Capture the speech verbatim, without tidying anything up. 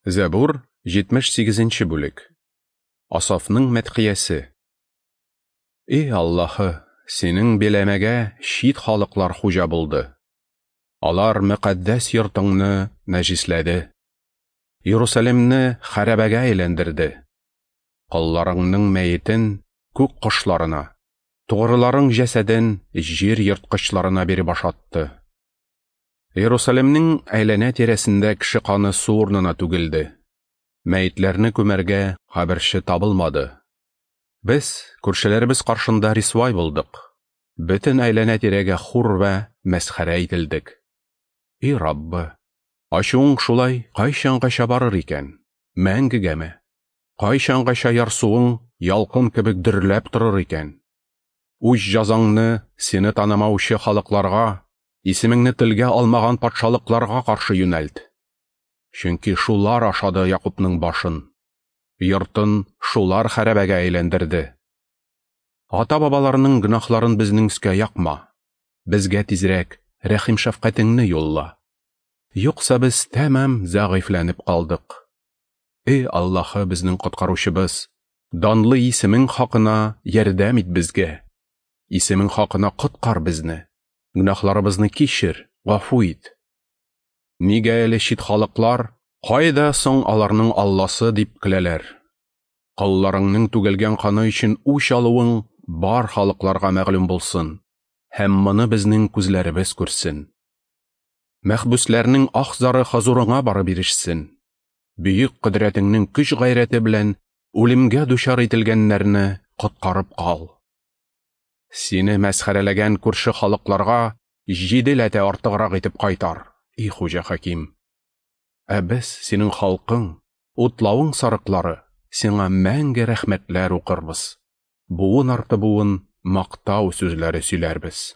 Зәбур, җитмеш сигезенче бүлек. Асафның мәдхиясе. Эй Аллаһы, синең биләмәгә чит халыклар хуҗа булды. Алар мөкаддәс йортыңны нәҗисләде. Иерусалимне хәрабәгә әйләндерде. Колларыңның мәетен күк кошларына, тугрыларың җәсәден җир ерткычларына биреп ашатты. Иерусалимнең әйләнә-тирәсендә кеше каны су урынына түгелде. Мәетләрне күмәргә каберче табылмады. Без күршеләребез каршында рисвай булдык. Бөтен әйләнә-тирәгә хур вә мәсхәрә ителдек. И Раббы, ачуың шулай кайчангача барыр икән? Мәңгегәме? Кайчангача ярсуың ялкын кебек дөрләп торыр икән? Үз җазаңны сине танымаучы халыкларга, исемеңне телгә алмаган патшалыкларга каршы юнәлт. Чөнки шулар ашады Якупның башын, йортын шулар хәрабәгә әйләндерде. Ата-бабаларының гөнаһларын безнең өскә якма, безгә тизрәк рәхим-шәфкатеңне юлла. Юкса без тәмам зәгыйфьләнеп калдык. Эй Аллаһы, безнең коткаручыбыз, данлы исемең хакына ярдәм ит безгә. Исемең хакына коткар безне. Гөнаһларыбызны кичер, гафу ит. Нигә әле чит халыклар, кайда соң аларның Алласы дип көләләр? Колларыңның түгелгән каны өчен үч алуың бар халыкларга мәгълүм булсын, һәм моны безнең күзләребез күрсен. Мәхбүсләрнең ах-зары хозурыңа барып ирешсен. Бөек кодрәтеңнең көч-гайрәте белән үлемгә дучар ителгәннәрне коткарып кал. Сине мәсхәрәләгән күрше халыкларга җиде ләтә артыграк итеп кайтар, и Хуҗа Хаким. Ә без, синең халкың, утлавың сарыклары, сиңа мәңге рәхмәтләр укырбыз. Буын арты буын мактау сүзләре сөйләрбез.